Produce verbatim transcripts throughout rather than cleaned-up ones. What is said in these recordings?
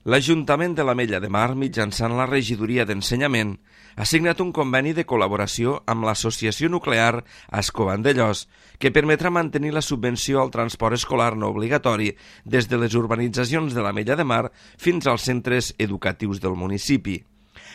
L'Ajuntament de l'Ametlla de Mar, mitjançant la Regidoria d'Ensenyament, ha signat un conveni de col·laboració amb l'Associació Nuclear Ascó Vandellòs, que permetrà mantenir la subvenció al transport escolar no obligatori des de les urbanitzacions de l'Ametlla de Mar fins als centres educatius del municipi.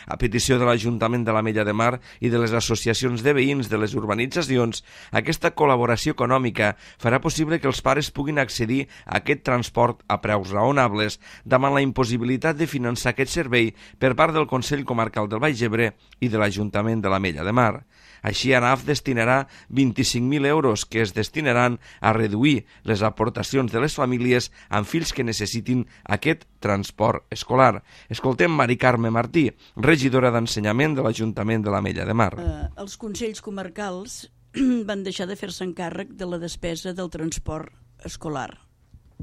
A petició de l'Ajuntament de l'Ametlla de Mar i de les associacions de veïns de les urbanitzacions, aquesta col·laboració econòmica farà possible que els pares puguin accedir a aquest transport a preus raonables davant la impossibilitat de finançar aquest servei per part del Consell Comarcal del Baix Ebre i de l'Ajuntament de l'Ametlla de Mar. Així, ANAF destinarà vint-i-cinc mil euros que es destinaran a reduir les aportacions de les famílies amb fills que necessitin aquest transport escolar. Escoltem Mari Carme Martí, regidora d'Ensenyament de l'Ajuntament de l'Ametlla de Mar. Eh, els Consells Comarcals van deixar de fer-se encàrrec de la despesa del transport escolar,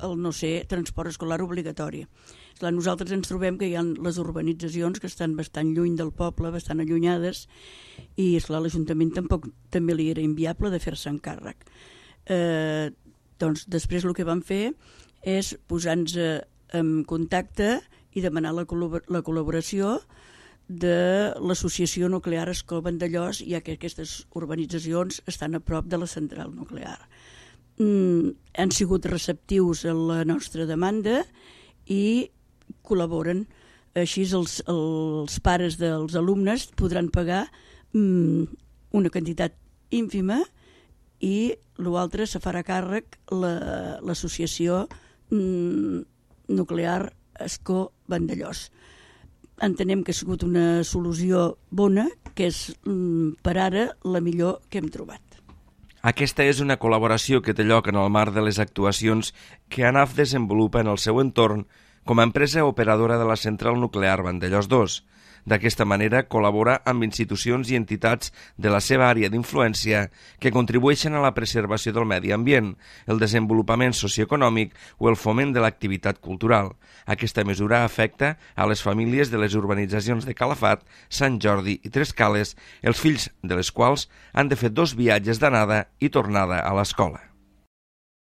el no ser transport escolar obligatori. Clar, nosaltres ens trobem que hi ha les urbanitzacions que estan bastant lluny del poble, bastant allunyades, i esclar, l'Ajuntament tampoc també li era inviable de fer-se encàrrec. Eh, doncs després el que vam fer és posar-nos en contacte i demanar la, col·labor la col·laboració de l'Associació Nuclear Ascó Vandellòs, ja que aquestes urbanitzacions estan a prop de la central nuclear. Mm, han sigut receptius a la nostra demanda i col·laboren. Així els, els pares dels alumnes podran pagar mm, una quantitat ínfima i l'altre se farà càrrec l'associació la, mm, Nuclear Ascó Vandellòs. Entenem que ha sigut una solució bona, que és mm, per ara la millor que hem trobat. Aquesta és una col·laboració que té lloc en el marc de les actuacions que ANAF desenvolupa en el seu entorn com a empresa operadora de la central nuclear Vandellòs dos. D'aquesta manera col·labora amb institucions i entitats de la seva àrea d'influència que contribueixen a la preservació del medi ambient, el desenvolupament socioeconòmic o el foment de l'activitat cultural. Aquesta mesura afecta a les famílies de les urbanitzacions de Calafat, Sant Jordi i Tres Cales, els fills de les quals han de fer dos viatges d'anada i tornada a l'escola.